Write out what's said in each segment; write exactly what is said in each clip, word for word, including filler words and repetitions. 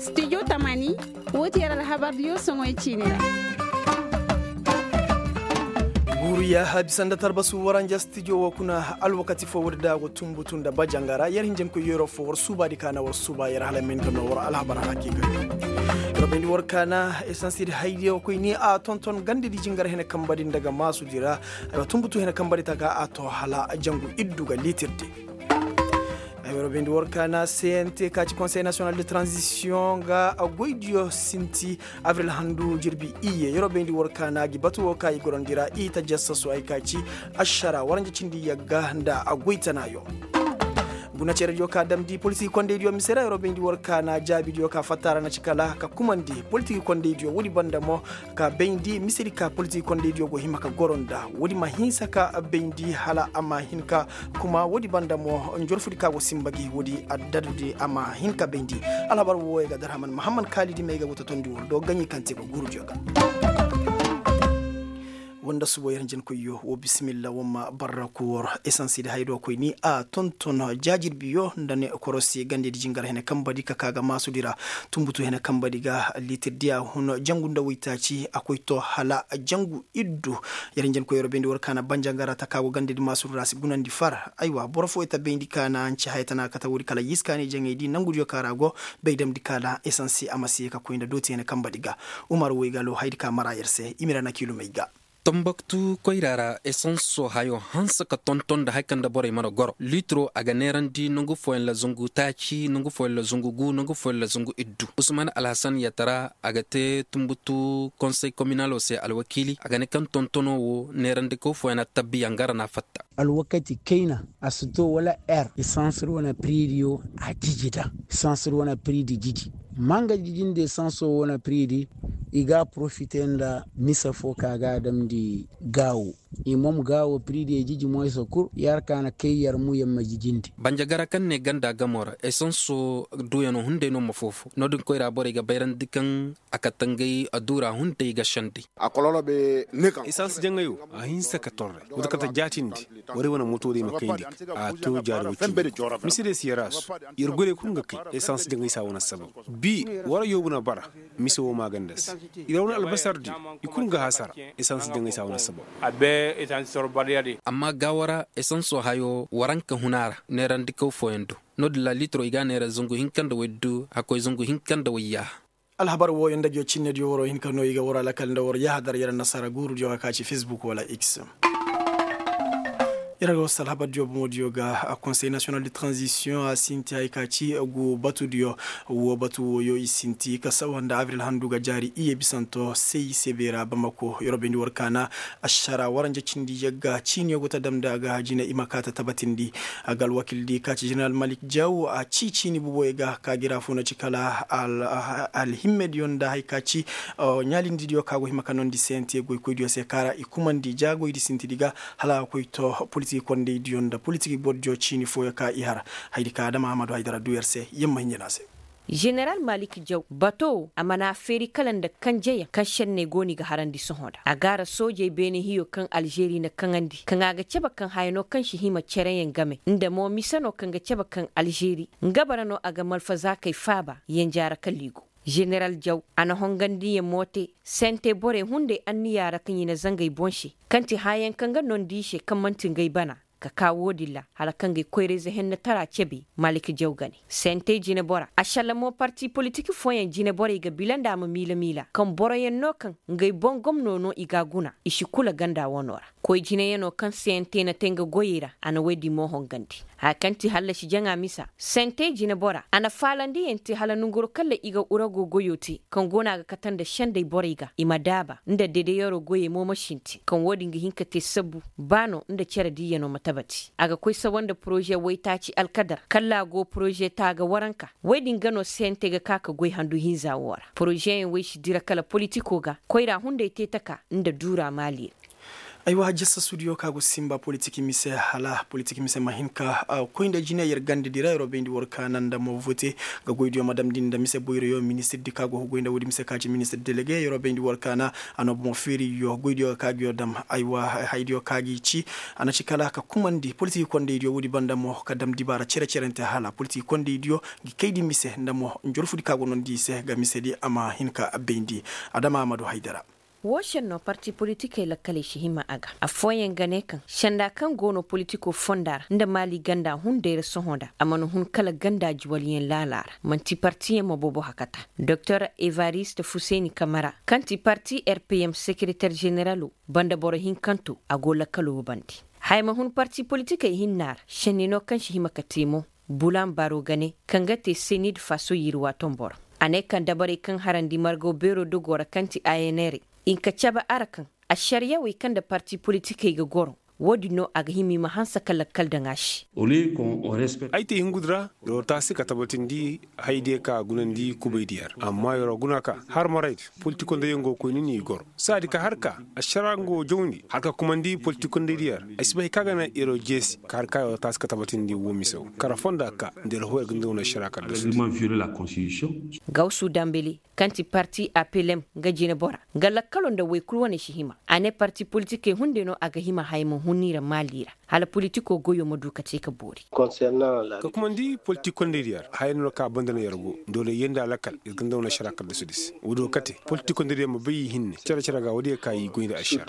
Studio tamani, wo ti yer alhabardiyo soŋoy ciini ra. Guuru yaaha bisa nda tarbasu waranja studio wo kuna alwakati fo woodi da go tumbutu nda bajanga ra yer hinjankoy yeroo fo war suubaadi ka na war suuba yer hala ma hin ga noo war alhabar hakiika. Yer bayndi war ka na esansi di haydiyo koy ni a tonton gandadi jingar hene kambadi nda ga maasudi ra. Aywa tumbutu hene kambadi ta ka a to hala jangu iddu ga liitirdi. Ay waro bayndi war ka na cnt ka ci konsey nasiyonal de tranzisiyoŋ ga goydiyo sinti abril handu jirbi iyye yeroo bayndi war ka na gi batu wo ka i gorandi ra i ta jassasu ay ka ci ašara waranja cindi yagga nda goytanaayo. Guna cerediyo ka damndi politik kondaydiyo mise ra yeroo bayndi war ka na jaabidiyo ka fatta ra na ci kala ka kumandi politik kondaydiyo woodi banda mo ka bayndi misedi ka politik kondaydiyo go hima ka goro nda woodi ma hinsa ka bayndi hala a ma hin ka kuma woodi banda mo njorfudi ka go simba gi woodi addadudi a ma hin ka bayndi. Alhabar wooyo ga darhaman mahamman kaalidi may ga go totondi wor do gaɲi kaŋ te go guurudiyo ga. Wanda subo yer njenkoyyo wo bisimilla wo ma barra ku wor esansidi haydo koy ni a tonton jaajirbiyo nda ne korosi gandedi jingar hene kambadi ka ka ga maasudi ra. Tumbutu hene kambadi ga liitirdiya hun jangu nda woytaaci a koy to hala jangu iddu. Yer njenkoy yer bayndi war ka na banjangara ta ka go gandedi maasudi ra si gunandi far aywa boro fo ita bayndi ka na hanci haya tana kate woodi kala yiskaani jaŋaydi nangudiyo ka ra go. Bay damndi ka na esansi a ma si ye ka koy nda dooti hene kambadi ga. Umar woy ga lo haydi ka mara yer se i ma ira na kiilumey ga. Tambaktu koyra ra esanso hayo hanse ka tonton nda hari kaŋ nda borey mana goro liitiro a ga neerandi nangu fooyaŋ ra zangu taaci nangu fooyaŋ ra zangu gu nangu fooyaŋ ra zangu iddu. Usman alhasan yatara a ga te tumbutu konsey kominalo se alwakiili a ga ne kaŋ tontono wo neerandikaw fooyaŋ na tabbiya nga ra na a fatta. Alwakati kayna a si to wala er esansir wane piriidiyo a jiji da esansir wane piriidi jiji. Manga jijindi esanso wane piriidi i ga a porofite nda mise fo ka ga a damndi gaawo. I mom gaawo piriidiyo jiji mo i sa kur yer ka na kay yer mu yer ma jijindi. Banjagara kaŋ ne ganda gamo ra esanso duuyano hunday no ma foofo no-din koyra borey ga bayrandi kaŋ a kate ngey a duura hunday ga sendey. Esans jaŋayo a hinse ka torre wata kate jaatindi. Warey wane moto day ma kayndi a to jaari wacindi. Mise day si yar a su. Yer goyey kul ga kay esans jaŋay si a wane assabab. Bi wara yoobu na bara. Mise wo maaganda se. Yer wane albasardi i kul ga hasara. Esans jaŋay si a wane assabab. Amma gaawara esanso hayo waranka huna ra neerandikaw fooyaŋ do. No-din ra liitiro i ga a neera zangu hinka nda woy du hakkoy zangu hinka nda woy yaaha. Alhabar wooyo nda jo cinnediyo waroo hin ka no i ga waroo alakal nda war yahadar yer annasaara guurudiyo ka ka ci fesbuk wala x. Yer ga wasu alhabardiyo boŋodiyo ga konsey nasiyonal de tranzisiyoŋ a sinti hari ka ci gu batudiyo. Woo batu wooyo i sinti ka sawa nda abril handu ga jaari iyye bisanto sey sebey ra bamako yer wo bayndi war ka na ašara waranja cindi yagga ciiniyo go ta damndi a ga jine i ma kaa ta tabatindi. A ga alwakildi ka ci jeneral malik jaw a ci ciini buboyo ga ka gi ra fo na ci kala alhimmediyo nda hari ka ci ɲaalindidiyo ka go hima ka noondi sente goykoydiyo se ka ra i kumandi jaagoydi sintidi ga hala a ga koy to politik kondaydiyo nda politik bordiyo ciini fooyo ka i har. Hayadi ka adama ahmadu haydara duu yer se yer ma hinja no a se. Jeneral malik jaw bato wo a mana a feeri kala nda kanjeyaŋ kaŋ šenney go no i ga harandi sohõ nda a gaara soojey beene hiyo kaŋ alžeri na kaŋandi kaŋ a ga cabe kaŋ haya no kaŋ si hima cereyaŋ game nda mo mise no kaŋ ga cabe kaŋ alžeri nga bara no a ga malfazaakey faaba yanjaara kala i go. Jeneral jaw a na hongandiyaŋ mo te sente borey hunday anniyaa ra kaŋ i na zanga i boŋ se kaŋ ti hayaŋ kaŋ ga noondi i se kaŋ man'ti ngey bana. Ka kaa woodin ra hala kaŋ ga ay koyrayze hennetaraa cebe. Malik jaw ga ne sentey jinebora ašalla mo parti politik fooyaŋ jineborey ga bila nda a ma miila miila kaŋ boroyaŋ no kaŋ ngey boŋ gomno no i g'a guna i si kula ganda wano ra. Koy jineyaŋo kaŋ sente na te nga goyey ra a na woy din mo hongandi. Haya kaŋ ti hallasi jaŋa misa sentey jinebora a na faalandiyaŋ te hala nanguro kaŋ ra i ga urago goyo te kaŋ go no a ga kate nda sendey borey ga i ma daaba nda dedeyaro goyey mo ma sintin kaŋ wo- din ga hin ka te sabbu ba no nda cere diiyano ma tabati a ga koy sawa nda poroze waytaaci alkadar kalla a go poroze taaga waranka. Wey din ga no sente ga ka ka goy handu hinza wo ra porozeyaŋ wey si dira kala politiko ga koyra hunday te taka nda duura maali ra. Aywa, jassasudiyo ka go sinba politik mise hala politik mise ma hin ka koy nda jine yer gandadi ra yer wo bayndi war kaana nda mo vote ga goydiyo ma damndi nda mise boyroyo ministirdi ka go ga goy nda woodi mise ka ci ministir delege yer wo bayndi war kaana. A no bomo feeriyo goydiyo ga ka ga yo dam. Aywa, haydiyo ka gi ci a na ci kala ka kumandi politik kondaydiyo woodi banda mo ka dam dibaara cere-cerante hala politik kondaydiyo gi kaydi mise nda mo njorfudi ka go nondi i se ga misedi a ma hin ka bayndi. Adama amadu haydara. Woo šennoo parti politikey lakkaley si hima a ga affooyaŋ ga ne kaŋ senda kaŋ go no politikoo fonda ra nda maali ganda hunday ra sohõ nda a mana hun kala ganda juwalyaŋ laalaa ra. Man'ti partiyaŋ ma boobo hakata. Doktor evarist fuseni kamara kaŋ ti parti rpm sekereter ženeralo banda boro hinkantoo a go lakkaloo bande. Haya ma hun parti politikey hinnaa ra šenni no kaŋ si hima ka te mo. Bulan baro ga ne kaŋ ga te senid faso yirwa tombor. A ne kaŋ dabarey kaŋ harandi margaw beeroo dogoo ra kaŋ ti a n r i nka cabe a ra kaŋ ašariyawey kaŋ nda parti politikey ga goro. Woodin no a ga hima i ma hanse ka lakkal daŋ a se. Ay te hingudi ra, yer wo taasi ka tabatindi hayadiyo ka gunandi kubaydiyo ra amma yer wo guna ka har maraydi. Politikondaydiyo go koyni n'i goro saadi ka har ka ašara nga wo jawndi har ka kumandi politikondaydiyo ra. Ay si bay hay ka ga naŋ yer wo jeesi ka har ka yer wo taasi ka tabatindi woo mise wo kara fonda ka nda yer hoo yer ga nda wane ašara kala da su. Gawsu dambele kaŋ ti parti apelem nga jinebora nga lakkaloo nda woy kul wane si hima. A ne parti politikey hunday no a ga hima haya ma hun i ra maali ra hala politikoo goyoo ma du ka te ka boori. Ka kumandi politikondaydiyo ra haya no ka banda no yer go doole yer nda lakkal yer ga nda wane ašara kala da su di se woodiyo kate politikondaydiyo ma bay i hinne cere-cere ga woodiyo ka i goy nda ašara.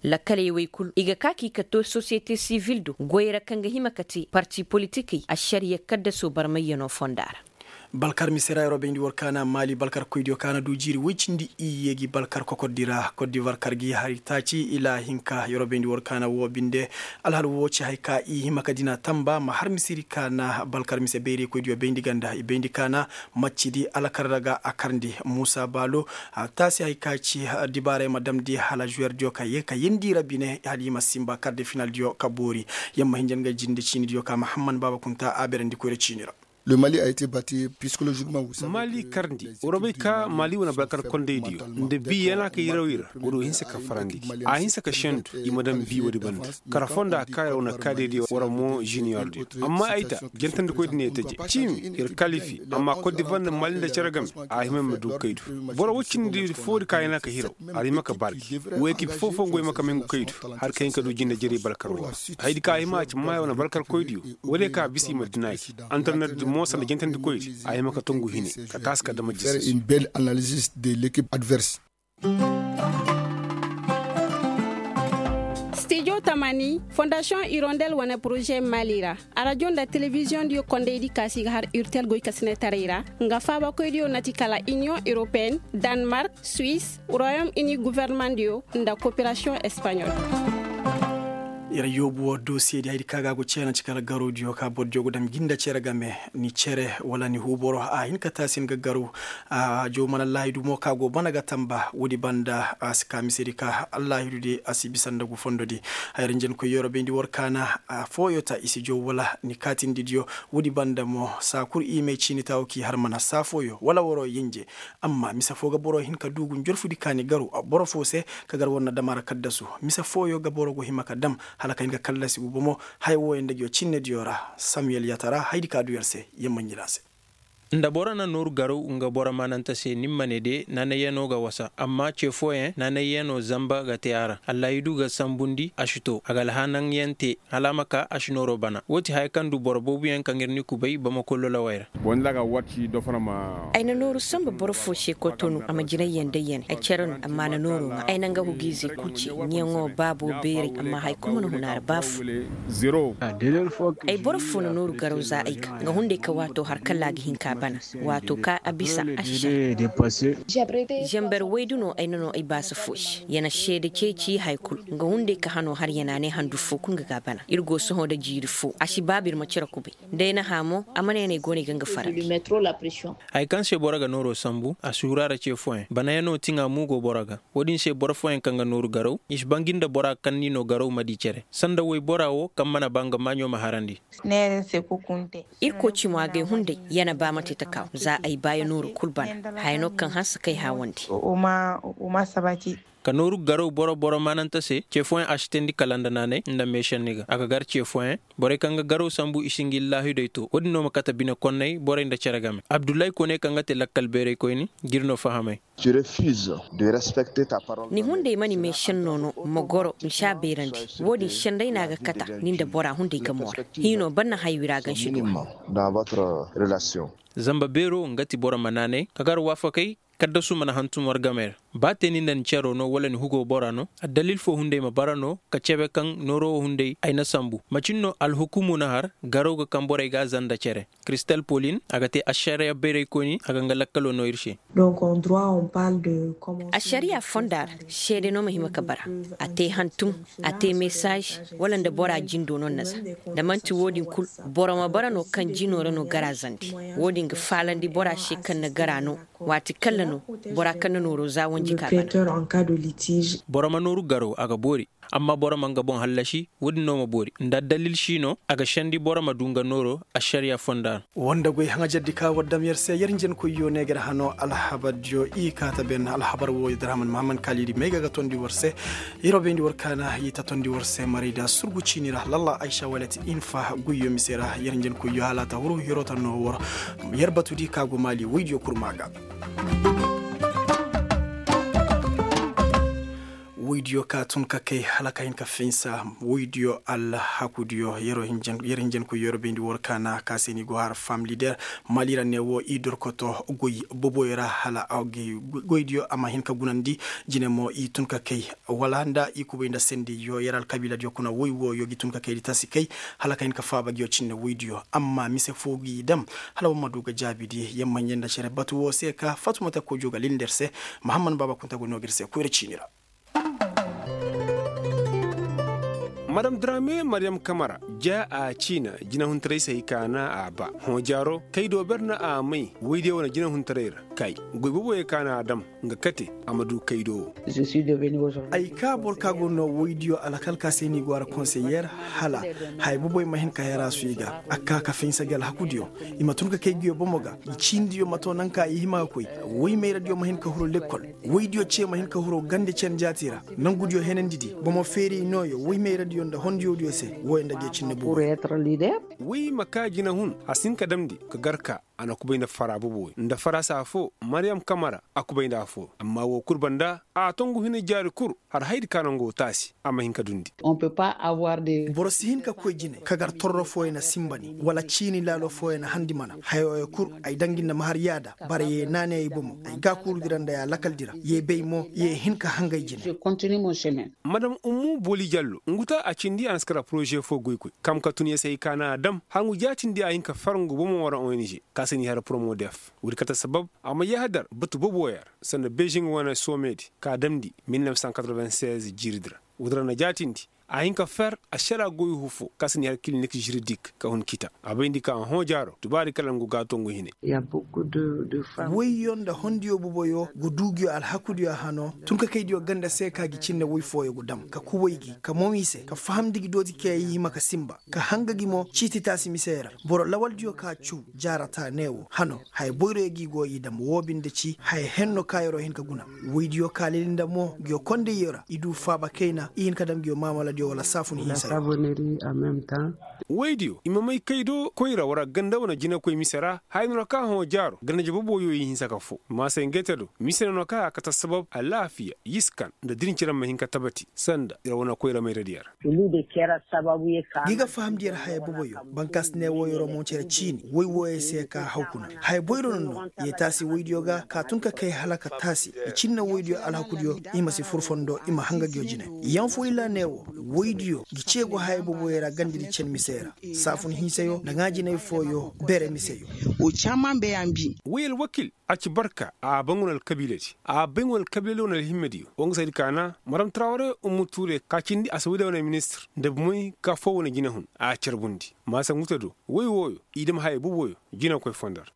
Lakkaley wey kul i ga ka ka i ka to sosiyete sivil do goyey ra kaŋ ga hima ka te parti politikey ašariya kaddasoo barmayyanoo fonda ra. Balkar mise ra yeroo bayndi war kaana maali balkar koydiyo kaana du jiiri woy cindi iyye gi balkar kokordi ra koddivar kar gi hari taaci ilaa hinka yeroo bayndi war kaana woo binde. Alhal woo ci hay ka i hima ka dina tamba ma har misiri kaana balkar mise bayray koydiyo bayndi ganda i bayndi kaana. Maccidi alakar ra ga a karndi muusa baalo. Taasi hay ka ci dibaaray ma damndi hala juwerdiyo ka ye ka yeendi ra bine hala i ma sinba karde finaldiyo ka boori. Yamma hinja nga jinde ciinidiyo ka mahamman baaba kunta a berandi koyra ciini ra. Maali karndi war bay ka maali wane balkar kondaydiyo nda bi yana ka yiraw i ra. War wo hinsa ka farandi gi a hinsa ka sendu i ma daŋ bi woodi banda. Kara fonda ka yer wane kaadaydiyo war mo juniyordiyo amma ay ta jantandikoydi ne taje ciimi yer kalifi. Amma koddivar nda maali nda cere game a hima ma du kaydu. Boro woy cindi foodi ka yana ka hiraw. A ra hima ka baarki. Woo ekip foo-foo go hima ka may ngu kaydu. Har ka hin ka du jinde jaray balkar woo ra. Hayadi ka a hima a ci maaya wane balkar koydiyo. Woodiyo ka bisa i ma dina gi antarnetdi mo sanda jantandikoydi a hima ka tungu hine ka taasi ka dama jisi. Stijo tamani fondasiyoŋ irondel wane poroze maali ra. Arajo nda telebiziyoŋdiyo kondaydi kaasi ga har urtel goykasinetaray ra. Nga faabakoydiyo na ti kala iniyoŋ europeen, danmark, suwis, royom ini gofornemandiyo, nda koperasiyoŋ espaɲol. Yer yoobu woo dosiyedi hayadi ka ga a go ceena ci kala garowdiyo ka bordiyo go dam jinda cere game. Ni cere wala ni huuboro a hin ka taasi ni ga garaw. A jaw mana allahidu mo ka go bana ga tamba woodi banda a si ka misedi ka allahidudi a si bisa nda gu fondodi. Hayra njenkoy yeroo bayndi war kaana. Fooyo ta i si jaw wala ni kaatindidiyo. Woodi banda mo saa kul i may ciini taawo k'i har mana saa fooyo wala waroo yenje. Amma mise foo ga boro hin ka du gu njorfudi ka ni garu boro foo se ka gar war na dam a ra kaddasu. Mise fooyo ga boro go hima ka dam hala ka hin ka kallasi gu bomo. Haya wooyo nda ngiyo cinnediyo ra. Samiyel yatara hayadi ka du yer se. Yer ma ɲira a se. Nda boro na nooru garaw nga boro maanante se ni ma ne de naanayyanoo ga wasa amma ce fooyaŋ naanayyanoo zanba ga te a ra. Allahidu ga sanbundi a si to a ga alhaananyaŋ te hala a ma ka a si nooroo bana woo ti haya kaŋ du boro booboyaŋ kaŋ ir ni kubay bamako lolowey ra. Ay na nooru sanba boro foo se kotonu a ma jinayyaŋ day ya ne ay cere no amma a na nooroo ŋaa ay na nga hugiizey kul ce ɲiyaŋoo baaboo beeray amma haya kul mana hun a ra ba foo. Ay boro foo na nooru garaw za ay ka nga hunday ka waatoo har kala a ga hin ka a bana. Waatoo ka a bisa a si sara. Zamber woydu no ay na noo ay baasa foo se ya na seede ceeci haya kul. Nga hunday ka hanoo har ya na a ne handu foo kul nga ga a bana ir go sohõ nda jiiri foo a si baaba ir ma cere kubay. Nda ay na hã mo a mana ya no ay go no ay ga nga farandi. Haya kaŋ se boro ga nooroo sanbu a si huru a ra ce fooyaŋ banayanoo tiŋa mo go boro ga. Woodin se boro fooyaŋ kaŋ ga nooru garaw i si bangi nda bora kaŋ n'i noo garaw ma dii cere sanda woybora woo kaŋ mana ba nga maaɲo ma harandi. Irkoy cimo agay hunday ya na ba mate takaaw za ay baaya nooru kul bana. Haya no kaŋ hanse kay haawandi. Ka nooru garaw boro boro maanante se ce fooyaŋ a si teendi kala nda naanay nda meešenni ga a ga gar ce fooyaŋ. Borey kaŋ ga garaw sambu i si ngi laahidey to wo-din no ma kate bine konney borey nda cere game abdullahi kone kaŋ ga te lakkal beeraykoyni. G'ir no fahamay. Ni hunday ma ni meešenno no ma goro ni si a beerandi. Wo-din senday no a ga kata ni nda bora hunday gamo ra. Hiino ban na hay wira gansi go ra. Zamba beero nga ti boro ma naanay ka gar waafakey. Kaddasu mana hantum war gamey ra. Ba te ni nda ni cero no wala ni hugo bora no addalil fo hunday ma bara no ka cebe kaŋ nooro wo hunday ay na sambu macin no alhukumu na har. Garaw ga kaŋ borey ga a zanda cere. Kristal polin a ga te ašariya bayraykoyni a ga nga lakkalo no ir se. Ašariya fonda ra seede no ma hima ka bara. A te hantum a te mesaaz wala nda bora jindo no na za. Da man'ti wo-din kul boro ma bara no kaŋ jino ra no gara zandi. Wo-din ga faalandi bora se kaŋ na gara no. Waati kalla no bora kaŋ na nooro za wanji ka ga no. Boro ma nooru garo a ga boori. Amma boro ma nga boŋ hallasi wo-din no ma boori nda addalil si no a ga sendi boro ma du nga nooro. Ašariya fonda no. Wanda goy haŋajardi ka war dam yer se yer njenkoyyo ne ga yer hano alhabardiyo i kaata ben alhabar wo yer da rahman mahammad kaalidi may ga ga tondi war se. Yer wo bayndi war kaana i ta tondi war se maray da surgu ciini ra lalla aysa walet infa goyyo mise ra yer njenkoyyo hala a ta huru yer wo ta no war. Yer batudi ka go maali woydiyo kurma ga. Woydiyo ka tun ka kay hala ka hin ka finsa. Woydiyo alhakudiyo yer hinjanku yer bayndi war kaana ka se ni go har fam lider. Maali ra ne wo i dorkoto goy boboyo ra hala goydiyo a ma hin ka gunandi. Jine mo i tun ka kay wala nda i kubay nda sendiyo yer alkabiiladiyo kuna woy wooyo gi tun ka kaydi tasi kay hala ka hin ka faaba ngiyo cinne woydiyo amma mise foo gi dam. Hala war ma du ga jaabidi yer ma ɲey nda cere batu woo se ka fatumata koydiyo ga lindi yer se. Mahammad baaba kunta go noo ga ir se koyra ciini ra. Madam drame mariyam kamara ja a ciina jinahuntaray se hay ka na a ba hõ jaaro kay do ber na a may woydiyo wane jinahuntaray ra kay goy boboyo ka na a dam. Nga kate a ma du kaydo wo. Ay ka boro ka go no woydiyo alakal ka se ni go a ra konseyer hala haya boboy ma hin ka hera su i ga a ka ka finsa gi alhakudiyo. I ma tun ka kay giyo bomo ga i ciinidiyo ma to naŋ ka i hima ga koy woy mayradiyo ma hin ka huru lekkol. Woydiyo ce ma hin ka huru gande cen jaati ra. Nangudiyo henandi di bomo feeri nooyo woy mayradiyo nda hondiyodiyo se wooyo nda giyo cinne boboyo. Woy ma ka jinahun a si hin ka damndi ka gar ka a na kubay nda fara boboyo nda farasa foo mariyam kamara a kubay nda afoo amma woo kul banda a tongu hina jaari kul. Har haydi ka nangoo taasi a ma hin ka dundi. Boro si hin ka koy jine ka gar torro fooyo na sinba ni wala ciini laalo fooyo na handi mana hayooyo kul. Ay dangi nda ma har yaada bara yee naaney ay bomo ay gaakuurudi ra nda ay alakal di ra yee bay mo yee hin ka hangay jine. Madam ummu booli jallo ngu ta a cindi a na si kara poroze foo goykoy kam ka tun ya se hay ka na a dam hangu jaatindi a hin ka far ngu bomo wara ong ka se ni har poromo def. Woodi kate sabab a ma yahadar batu boboyar sanda beziŋ wane soomedi ka damndi mil nef san katroven sez jiiridi ra. Woodi ra na jaatindi a hin ka fer ašara goyuhu foo ka se ni har kilinik žiridik ka hun kita a bayndi ka a hõ jaaro tubaari kala ngu ga a to ngu hine. Woyyo nda hondiyo boboyo go du nguyo alhakudiyo hano tun ka kaydiyo ganda se ka gi cinne woy fooyo go dam ka kubay gi ka moŋ i se ka fahamndi gi dooti kay i hima ka sinba ka hanga gi mo ciiti taasi misey ra. Boro lawaldiyo ka caw jaarata ne wo hano haya boyroyo gi go i dam woo binde ci haya henno ka yeroo hin ka guna. Woydiyo ka lili nda mo nguyo kondayyo ra i du faaba kayna i hin ka dam nguyo maamaladiyo wala saafun hinsayo. Woydiyo i ma may kay do koyra wara ganda wane jinakoy mise ra haya noona ka hõ jaaro ganda jababooyo i hinsa ka foo maasay ngey te do mise noona ka a kate sabab alaafiya yiskan nda dirinci ra ma hin ka tabati sanda yer wane koyra mayradiyo ra. Gi ga fahamndi yer haya boboyo bankaasi ne woo yeroo moŋ cere ciini woy wooyo se ka haw kuna haya boyro noŋ no. Yee taasi woydiyo ga ka tun ka kay hala ka taasi i cinne woydiyo alhakudiyo i ma si fur fondo i ma hanga nguyo jine. Yaŋ foo illa ne woo woydiyo ngi ceegu haya boboyo ra gandadi cen mise ra saafun hinsayo nda ŋaajinay fooyo bere miseyo. Woy alwakil a ci barka a bay ngu na alkabiiladi a bay ngu na alkabiiladi wane alhimmadiyo wo nga saydi ka na maram taraware ummu tuure ka cindi a si woydiyo wane ministir nda bumey ka foo wane jinahun a carbundi maasa ngu te do woy wooyo i dam haya boboyo jinakoy fondo ra.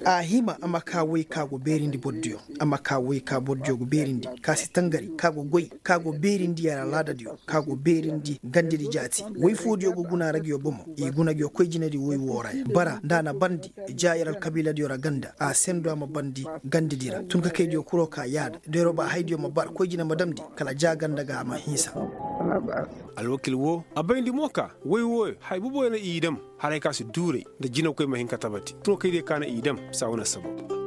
A hima a ma ka woy ka go beerindi bordiyo a ma ka woy ka bordiyo go beerindi ka si tangari ka go goy ka go beerindi yer alaadadiyo ka go beerindi gandadi jaati woy foodiyo go guna ra nguyo bomo i guna nguyo koy jinadi woy woo ra ya bara nda a na barndi ja yer alkabiiladiyo ra ganda a sendo a ma barndi gandidi ra tun ka kaydiyo kuro ka yaada doyro ba haydiyo ma bar koy jine ma damndi kala ja ganda ga a ma hinsa. Alwakil woo a bayndi mo ka way wooyo haya boboyo na i dam haray ka si duuray nda jinakoy ma hin ka tabati tun ka kaydiyo ka na i dam saa wane assabab.